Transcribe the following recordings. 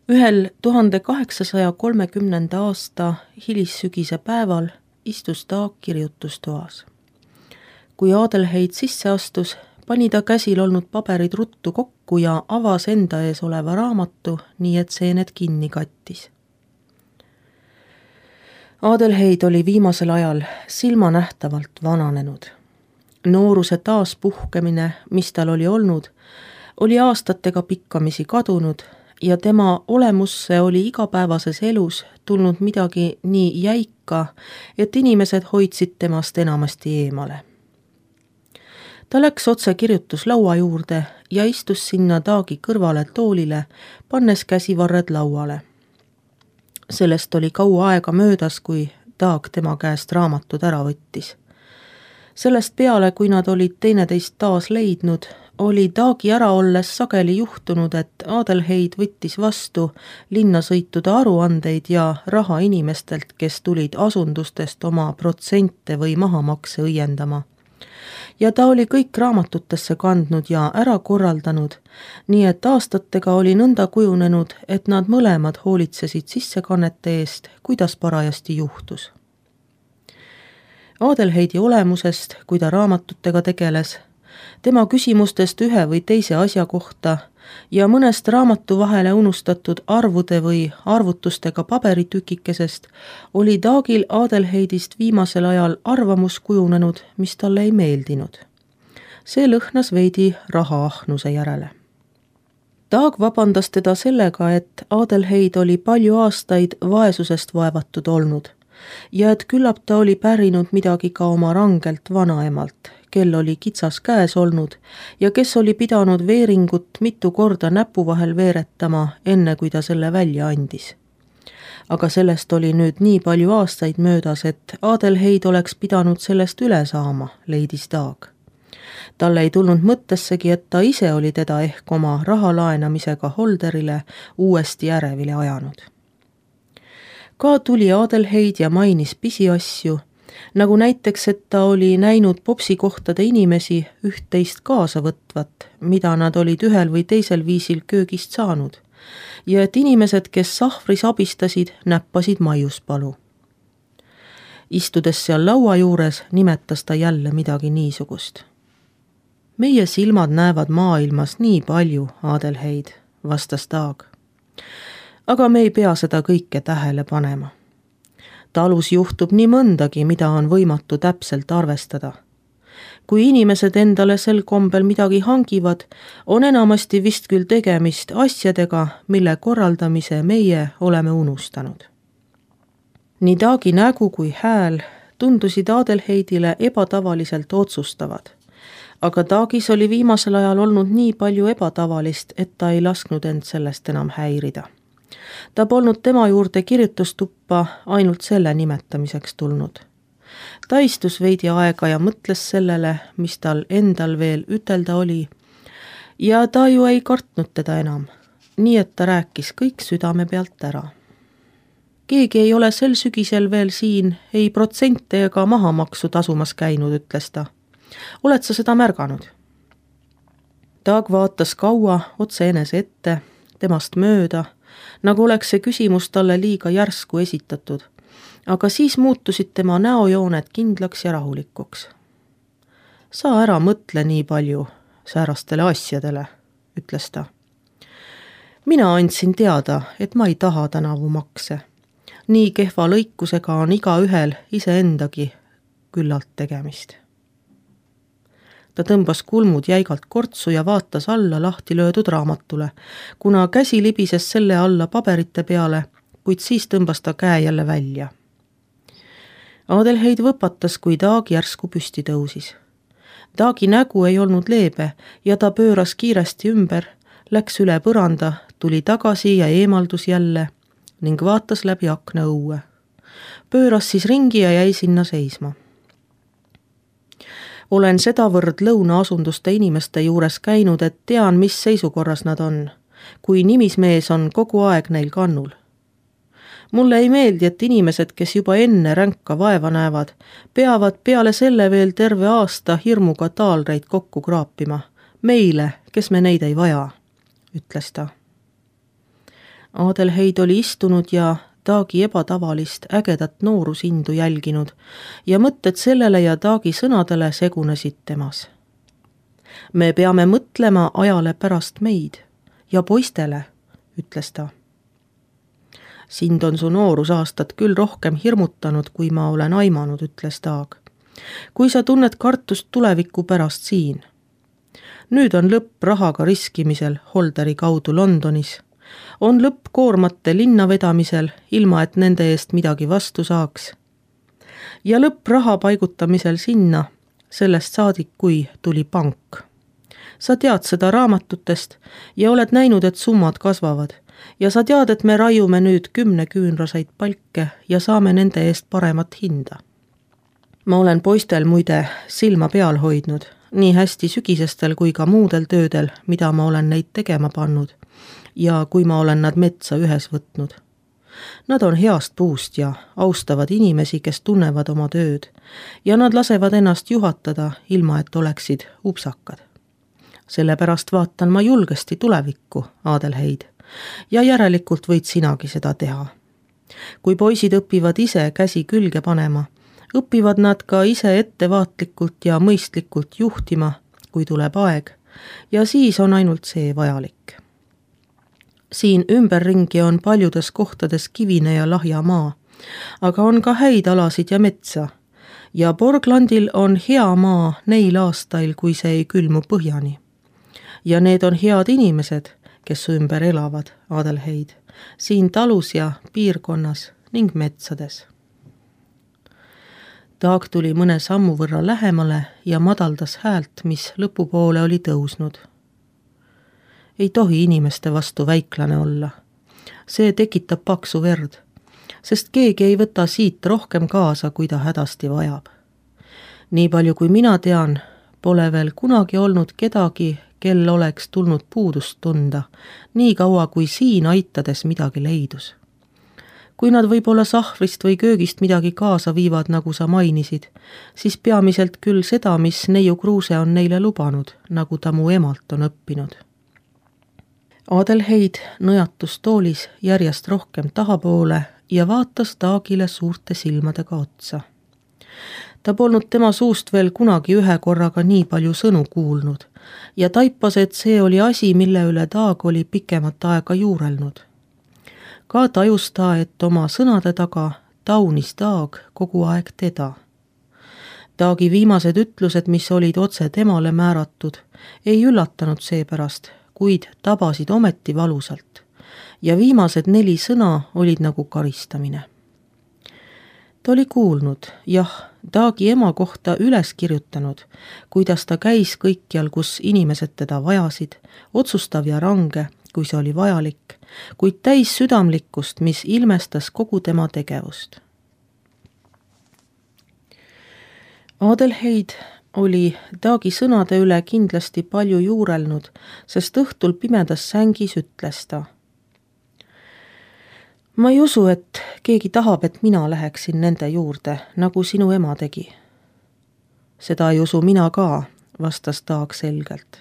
Ühel 1830. aasta hilissügise päeval istus Taag kirjutustoas. Kui Adelheid sisse astus, pani ta käsil olnud paberid ruttu kokku ja avas enda ees oleva raamatu, nii et seened kinni kattis. Adelheid oli viimasel ajal silmanähtavalt vananenud. Nooruse taaspuhkemine, mis tal oli aastatega pikkamisi kadunud ja tema olemusse oli igapäevases elus tulnud midagi nii jäika, et inimesed hoidsid temast enamasti eemale. Ta läks otse kirjutuslaua juurde ja istus sinna Taagi kõrvale toolile, pannes käsivarred lauale. Sellest oli kaua aega möödas, kui Taag tema käest raamatud ära võttis. Sellest peale, kui nad olid teineteist taas leidnud, oli Taagi ära olles sageli juhtunud, et Adelheid võttis vastu linnasõitude aruandeid ja raha inimestelt, kes tulid asundustest oma protsente või mahamakse õiendama. Ja ta oli kõik raamatutesse kandnud ja ära korraldanud, nii et aastatega oli nõnda kujunenud, et nad mõlemad hoolitsesid sissekannete eest, kuidas parajasti juhtus. Adelheidi olemusest, kui ta raamatutega tegeles, tema küsimustest ühe või teise asja kohta ja mõnest raamatu vahele unustatud arvude või arvutustega paberitükikesest oli Taagil Adelheidist viimasel ajal arvamus kujunenud, mis talle ei meeldinud. See lõhnas veidi rahaahnuse järele. Taag vabandas teda sellega, et Adelheid oli palju aastaid vaesusest vaevatud olnud ja et küllap ta oli pärinud midagi ka oma rangelt vanaemalt, kel oli kitsas käes olnud ja kes oli pidanud veeringut mitu korda näpu vahel veeretama, enne kui ta selle välja andis. Aga sellest oli nüüd nii palju aastaid möödas, et Adelheid oleks pidanud sellest üle saama, leidis Taag. Talle ei tulnud mõttessegi, et ta ise oli teda ehk oma raha laenamisega Holderile uuesti ärevile ajanud. Ka tuli Adelheid ja mainis pisiasju, nagu näiteks, et ta oli näinud popsikohtade inimesi üht-teist kaasa võtvat, mida nad olid ühel või teisel viisil köögist saanud, ja et inimesed, kes sahvris abistasid, näppasid maiuspalu. Istudes seal laua juures, nimetas ta jälle midagi niisugust. Meie silmad näevad maailmas nii palju, Adelheid, vastas Taag. Aga me ei pea seda kõike tähele panema. Talus juhtub nii mõndagi, mida on võimatu täpselt arvestada. Kui inimesed endale sel kombel midagi hangivad, on enamasti vist küll tegemist asjadega, mille korraldamise meie oleme unustanud. Nii Taagi nägu kui hääl tundusid Adelheidile ebatavaliselt otsustavad, aga Taagis oli viimasel ajal olnud nii palju ebatavalist, et ta ei lasknud end sellest enam häirida. Ta polnud tema juurde kirjutustuppa ainult selle nimetamiseks tulnud. Ta istus veidi aega ja mõtles sellele, mis tal endal veel ütelda oli, ja ta ju ei kartnud teda enam, nii et ta rääkis kõik südame pealt ära. Keegi ei ole sel sügisel veel siin ei protsente ega mahamaksu tasumas käinud, ütles ta. Oled sa seda märganud? Taag vaatas kaua otse enese ette, temast mööda, nagu oleks see küsimus talle liiga järsku esitatud, aga siis muutusid tema näojooned kindlaks ja rahulikuks. Sa ära mõtle nii palju säärastele asjadele, ütles ta. Mina andsin teada, et ma ei taha tänavu makse. Nii kehva lõikusega on igaühel iseendagi küllalt tegemist. Ta tõmbas kulmud jäigalt kortsu ja vaatas alla lahti löödud raamatule, kuna käsi libises selle alla paberite peale, kuid siis tõmbas ta käe jälle välja. Adelheid võpatas, kui Taag järsku püsti tõusis. Taagi nägu ei olnud leebe ja ta pööras kiiresti ümber, läks üle põranda, tuli tagasi ja eemaldus jälle ning vaatas läbi akna õue. Pööras siis ringi ja jäi sinna seisma. Olen sedavõrd lõunaasunduste inimeste juures käinud, et tean, mis seisukorras nad on, kui nimismees on kogu aeg neil kannul. Mulle ei meeldi, et inimesed, kes juba enne ränka vaeva näevad, peavad peale selle veel terve aasta hirmuga taalreid kokku kraapima. Meile, kes me neid ei vaja, ütles ta. Adelheid oli istunud ja Taagi ebatavalist ägedat noorusindu jälginud ja mõtted sellele ja Taagi sõnadele segunesid temas. Me peame mõtlema ajale pärast meid ja poistele, ütles ta. Sind on su noorusaastad küll rohkem hirmutanud, kui ma olen aimanud, ütles Taag. Kui sa tunned kartust tuleviku pärast siin. Nüüd on lõpp rahaga riskimisel Holderi kaudu Londonis. On lõpp koormate linna vedamisel, ilma et nende eest midagi vastu saaks. Ja lõpp raha paigutamisel sinna, sellest saadik, kui tuli pank. Sa tead seda raamatutest ja oled näinud, et summad kasvavad. Ja sa tead, et me raiume nüüd 10 küünrasaid palke ja saame nende eest paremat hinda. Ma olen poistel muide silma peal hoidnud, nii hästi sügisestel kui ka muudel töödel, mida ma olen neid tegema pannud ja kui ma olen nad metsa ühes võtnud. Nad on heast puust ja austavad inimesi, kes tunnevad oma tööd ja nad lasevad ennast juhatada, ilma et oleksid upsakad. Sellepärast vaatan ma julgesti tulevikku, Adelheid, ja järelikult võid sinagi seda teha. Kui poisid õpivad ise käsi külge panema, õpivad nad ka ise ettevaatlikult ja mõistlikult juhtima, kui tuleb aeg, ja siis on ainult see vajalik. Siin ümberringi on paljudes kohtades kivine ja lahja maa, aga on ka häid alasid ja metsa, ja Borglandil on hea maa neil aastail, kui see ei külmu põhjani. Ja need on head inimesed, kes ümber elavad, Adelheid, siin talus ja piirkonnas ning metsades. Taag tuli mõne sammu võrra lähemale ja madaldas häält, mis lõpupoole oli tõusnud. Ei tohi inimeste vastu väiklane olla. See tekitab paksu verd, sest keegi ei võta siit rohkem kaasa, kui ta hädasti vajab. Nii palju kui mina tean, pole veel kunagi olnud kedagi, kel oleks tulnud puudust tunda, nii kaua kui siin aitades midagi leidus. Kui nad võib-olla sahvrist või köögist midagi kaasa viivad, nagu sa mainisid, siis peamiselt küll seda, mis neiu Kruuse on neile lubanud, nagu ta mu emalt on õppinud. Adelheid nõjatus toolis järjest rohkem tahapoole ja vaatas Taagile suurte silmadega otsa. Ta polnud tema suust veel kunagi ühe korraga nii palju sõnu kuulnud ja taipas, et see oli asi, mille üle Taag oli pikemat aega juurelnud. Ka tajus ta, et oma sõnade taga taunis Taag kogu aeg teda. Taagi viimased ütlused, mis olid otse temale määratud, ei üllatanud seepärast, kuid tabasid ometi valusalt ja viimased 4 sõna olid nagu karistamine. Ta oli kuulnud, jah, Taagi ema kohta üles kirjutanud, kuidas ta käis kõikjal, kus inimesed teda vajasid, otsustav ja range, kui see oli vajalik, kuid täis südamlikkust, mis ilmestas kogu tema tegevust. Adelheid oli Taagi sõnade üle kindlasti palju juurelnud, sest õhtul pimedas sängis ütles ta. Ma ei usu, et keegi tahab, et mina läheksin nende juurde, nagu sinu ema tegi. Seda ei usu mina ka, vastas Taag selgelt.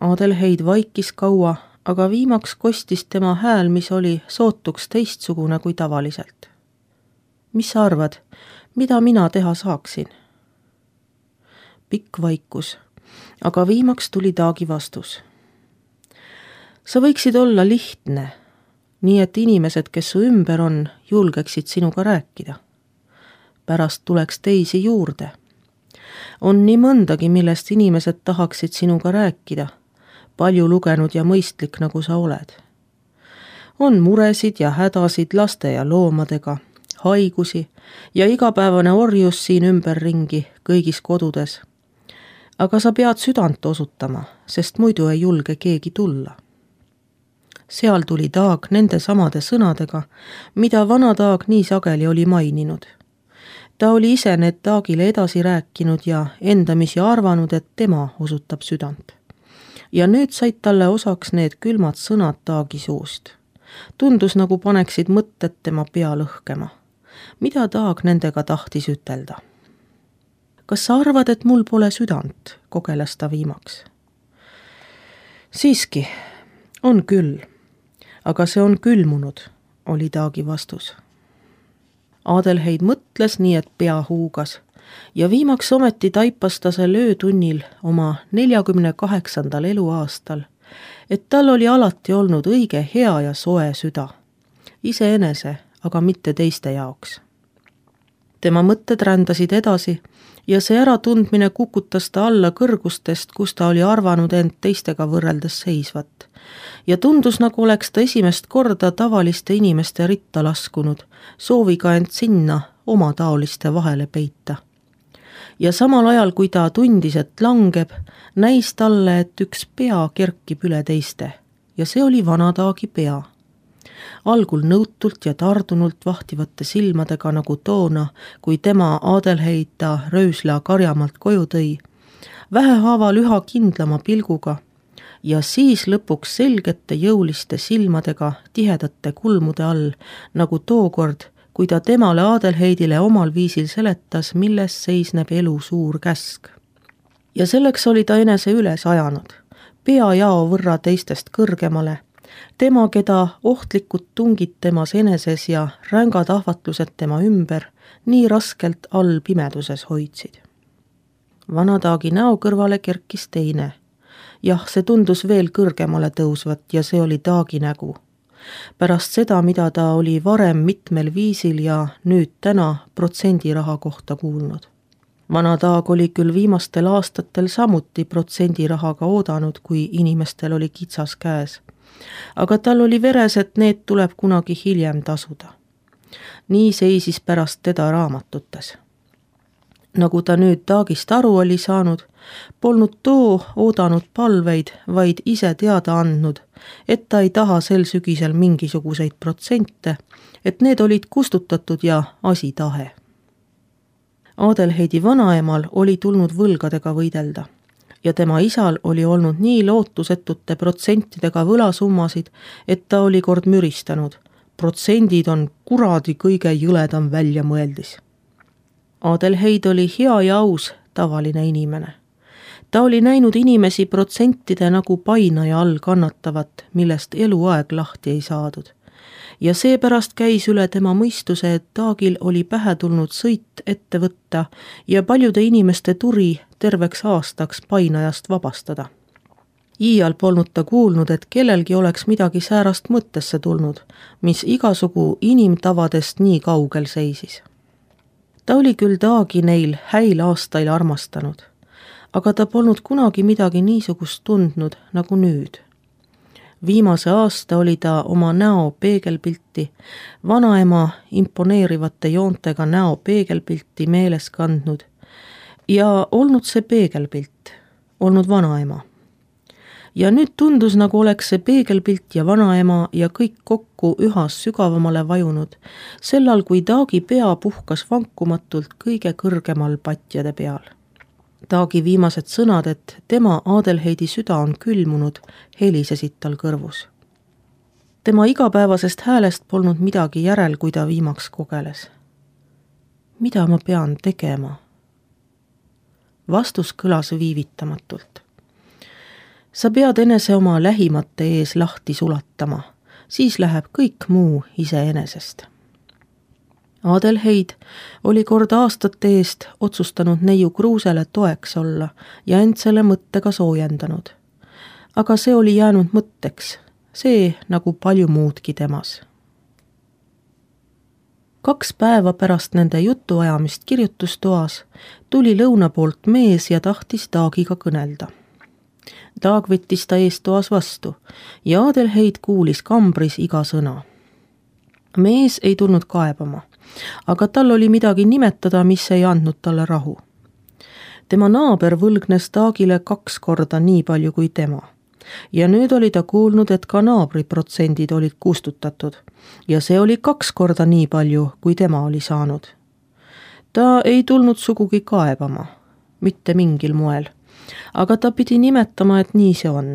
Adelheid vaikis kaua, aga viimaks kostis tema hääl, mis oli sootuks teistsugune kui tavaliselt. Mis sa arvad, mida mina teha saaksin? Pikk vaikus, aga viimaks tuli Taagi vastus. Sa võiksid olla lihtne, nii et inimesed, kes su ümber on, julgeksid sinuga rääkida. Pärast tuleks teisi juurde. On nii mõndagi, millest inimesed tahaksid sinuga rääkida, palju lugenud ja mõistlik, nagu sa oled. On muresid ja hädasid laste ja loomadega, haigusi ja igapäevane orjus siin ümberringi kõigis kodudes. Aga sa pead südant osutama, sest muidu ei julge keegi tulla. Seal tuli Taag nende samade sõnadega, mida vana Taag nii sageli oli maininud. Ta oli ise need Taagile edasi rääkinud ja endamisi arvanud, et tema osutab südant. Ja nüüd said talle osaks need külmad sõnad Taagi suust. Tundus, nagu paneksid mõtted tema pea lõhkema. Mida Taag nendega tahtis ütelda? Kas sa arvad, et mul pole südant, kogeles ta viimaks. Siiski, on küll. aga see on külmunud, oli Taagi vastus. Adelheid mõtles nii, et pea huugas ja viimaks ometi taipas ta sel öötunnil oma 48. eluaastal, et tal oli alati olnud õige hea ja soe süda, iseenese, aga mitte teiste jaoks. Tema mõtted rändasid edasi ja see äratundmine kukutas ta alla kõrgustest, kus ta oli arvanud end teistega võrreldes seisvat. Ja tundus, nagu oleks ta esimest korda tavaliste inimeste ritta laskunud, sooviga end sinna oma taoliste vahele peita. Ja samal ajal, kui ta tundis, et langeb, näis talle, et üks pea kerkib üle teiste ja see oli vana Taagi pea. Algul nõutult ja tardunult vahtivate silmadega nagu toona, kui tema Adelheid ta röösla karjamalt koju tõi, vähehaaval üha kindlama pilguga ja siis lõpuks selgete jõuliste silmadega tihedate kulmude all, nagu tookord, kui ta temale Adelheidile omal viisil seletas, milles seisneb elu suur käsk. Ja selleks oli ta enese üles ajanud, peajao võrra teistest kõrgemale, tema, keda ohtlikud tungid temas eneses ja rängad ahvatlused tema ümber nii raskelt all pimeduses hoidsid. Vana Taagi näo kõrvale kerkis teine. Jah, see tundus veel kõrgemale tõusvat ja see oli Taagi nägu. Pärast seda, mida ta oli varem mitmel viisil ja nüüd täna protsendiraha kohta kuulnud. Vana Taag oli küll viimastel aastatel samuti protsendirahaga oodanud, kui inimestel oli kitsas käes. Aga tal oli veres, et need tuleb kunagi hiljem tasuda. Nii seisis pärast teda raamatutes. Nagu ta nüüd Taagist aru oli saanud, polnud too oodanud palveid, vaid ise teada andnud, et ta ei taha sel sügisel mingisuguseid protsente, et need olid kustutatud ja asi tahe. Adelheidi vanaemal oli tulnud võlgadega võidelda ja tema isal oli olnud nii lootusetute protsentidega võlasummasid, et ta oli kord müristanud. Protsendid on kuradi kõige jõledam väljamõeldis. Adelheid oli hea ja aus, tavaline inimene. Ta oli näinud inimesi protsentide nagu painaja all kannatavat, millest eluaeg lahti ei saadud. Ja seepärast käis üle tema mõistuse, et Taagil oli pähe tulnud sõit ette võtta ja paljude inimeste turi terveks aastaks painajast vabastada. Iial polnud ta kuulnud, et kellelgi oleks midagi säärast mõttesse tulnud, mis igasugu inimtavadest nii kaugel seisis. Ta oli küll Taagi neil häil aastail armastanud, aga ta polnud kunagi midagi niisugust tundnud nagu nüüd. Viimase aasta oli ta oma näo peegelpilti, vanaema imponeerivate joontega näo peegelpilti meeles kandnud ja olnud see peegelpilt, olnud vanaema. Ja nüüd tundus, nagu oleks see peegelpilt ja vanaema ja kõik kokku ühas sügavamale vajunud, sellal kui Taagi pea puhkas vankumatult kõige kõrgemal patjade peal. Taagi viimased sõnad, et tema Adelheidi süda on külmunud, helisesid tal kõrvus. Tema igapäevasest häälest polnud midagi järel, kui ta viimaks kogeles. Mida ma pean tegema? Vastus kõlas viivitamatult. Sa pead enese oma lähimate ees lahti sulatama, siis läheb kõik muu iseenesest. Adelheid oli kord aastate eest otsustanud neiu Kruusele toeks olla ja end selle mõttega soojendanud. Aga see oli jäänud mõtteks, see nagu palju muudki temas. 2 päeva pärast nende jutuajamist kirjutustoas tuli lõuna poolt mees ja tahtis Taagiga kõnelda. Taag võttis ta eestoas vastu ja Adelheid kuulis kambris iga sõna. Mees ei tulnud kaebama, aga tal oli midagi nimetada, mis ei andnud talle rahu. Tema naaber võlgnes Taagile 2 korda nii palju kui tema. Ja nüüd oli ta kuulnud, et ka naabri protsendid olid kustutatud ja see oli 2 korda nii palju, kui tema oli saanud. Ta ei tulnud sugugi kaebama, mitte mingil moel, aga ta pidi nimetama, et nii see on,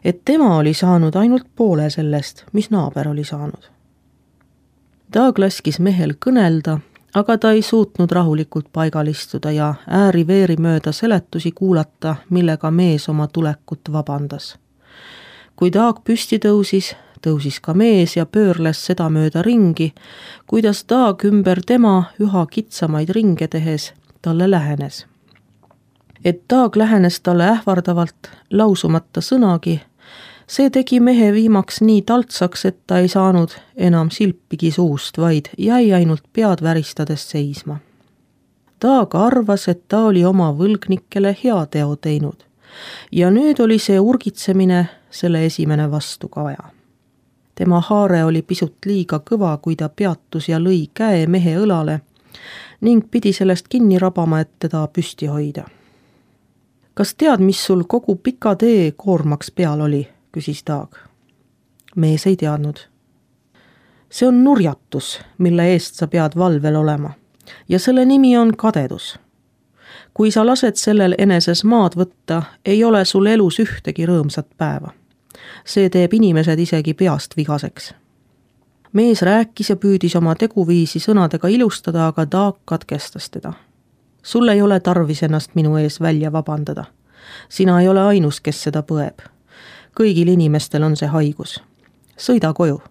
et tema oli saanud ainult poole sellest, mis naaber oli saanud. Taag laskis mehel kõnelda, aga ta ei suutnud rahulikult paigal istuda ja ääri-veeri mööda seletusi kuulata, millega mees oma tulekut vabandas. Kui Taag püsti tõusis, tõusis ka mees ja pöörles sedamööda ringi, kuidas Taag ümber tema üha kitsamaid ringe tehes talle lähenes. Et Taag lähenes talle ähvardavalt, lausumata sõnagi, see tegi mehe viimaks nii taltsaks, et ta ei saanud enam silpigi suust, vaid jäi ainult pead väristades seisma. Taag arvas, et ta oli oma võlgnikele heateo teinud ja nüüd oli see urgitsemine selle esimene vastukaja. Tema haare oli pisut liiga kõva, kui ta peatus ja lõi käe mehe õlale ning pidi sellest kinni rabama, et teda püsti hoida. Kas tead, mis sul kogu pika tee koormaks peal oli, küsis Taag. Mees ei teadnud. See on nurjatus, mille eest sa pead valvel olema ja selle nimi on kadedus. Kui sa lased sellel eneses maad võtta, ei ole sul elus ühtegi rõõmsat päeva. See teeb inimesed isegi peast vigaseks. Mees rääkis ja püüdis oma teguviisi sõnadega ilustada, aga Taag katkestas teda. Sul ei ole tarvis ennast minu ees välja vabandada. Sina ei ole ainus, kes seda põeb. Kõigil inimestel on see haigus. Sõida koju,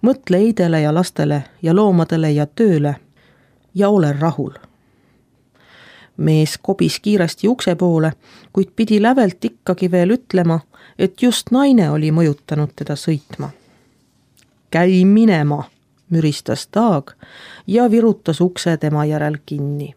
mõtle eidele ja lastele ja loomadele ja tööle ja ole rahul. Mees kobis kiiresti ukse poole, kuid pidi lävelt ikkagi veel ütlema, et just naine oli mõjutanud teda sõitma. Käi minema, müristas Taag ja virutas ukse tema järel kinni.